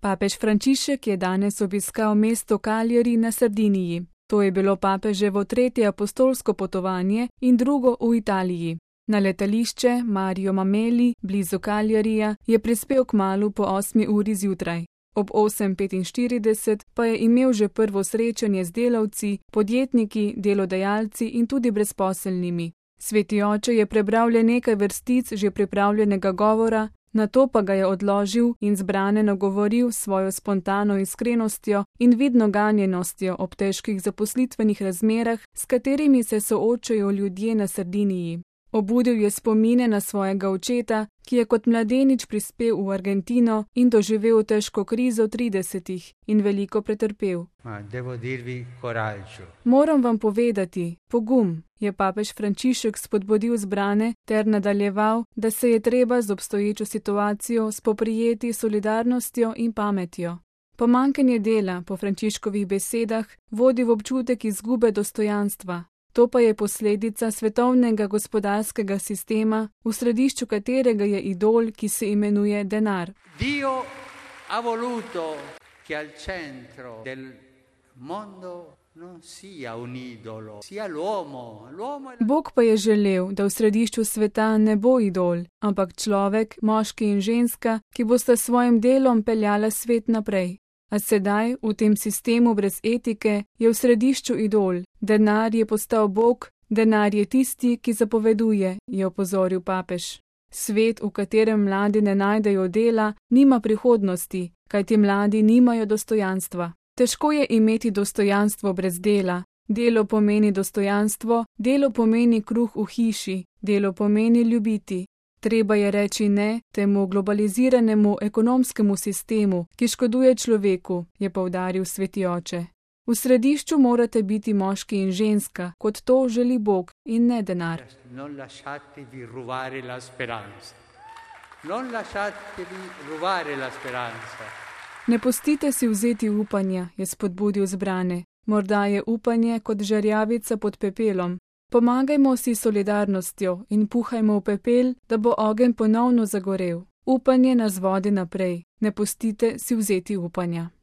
Papež Frančišek je danes obiskal mesto Cagliari na Sardiniji. To je bilo papeževo 3. apostolsko potovanje in drugo v Italiji. Na letališče Mario Mameli blizu Cagliarija je prispel kmalu po 8. uri zjutraj. Ob 8:45 pa je imel že prvo srečanje z delavci, podjetniki, delodajalci in tudi brezposelnimi. Sveti oče je prebral le nekaj vrstic že pripravljenega govora, nato pa ga je odložil in zbrane nagovoril s svojo spontano iskrenostjo in vidno ganjenostjo ob težkih zaposlitvenih razmerah, s katerimi se soočajo ljudje na Sardiniji. Obudil je spomine na svojega očeta, ki je kot mladenič prispel v Argentino in doživel težko krizo 30. in veliko pretrpel. Moram vam povedati, pogum, je papež Frančišek spodbudil zbrane ter nadaljeval, da se je treba z obstoječo situacijo spoprijeti s solidarnostjo in pametjo. Pomanjkanje dela, po Frančiškovih besedah, vodi v občutek izgube dostojanstva. To pa je posledica svetovnega gospodarskega sistema, v središču katerega je idol, ki se imenuje denar. Dio ha voluto che al centro del mondo non sia un idolo, sia l'uomo. Bog pa je želel, da v središču sveta ne bo idol, ampak človek, moški in ženska, ki bosta svojim delom peljala svet naprej. A sedaj, v tem sistemu brez etike, je v središču idol. Denar je postal Bog, denar je tisti, ki zapoveduje, je opozoril papež. Svet, v katerem mladi ne najdejo dela, nima prihodnosti, kajti mladi nimajo dostojanstva. Težko je imeti dostojanstvo brez dela. Delo pomeni dostojanstvo, delo pomeni kruh v hiši, delo pomeni ljubiti. Treba je reči ne temu globaliziranemu ekonomskemu sistemu, ki škoduje človeku, je poudaril sveti oče. V središču morate biti moški in ženska, kot to želi Bog in ne denar. Ne pustite si vzeti upanja, je spodbudil zbrane. Morda je upanje kot žarjavica pod pepelom. Pomagajmo si solidarnostjo in puhajmo v pepel, da bo ogenj ponovno zagorel. Upanje nas vodi naprej. Ne pustite si vzeti upanja.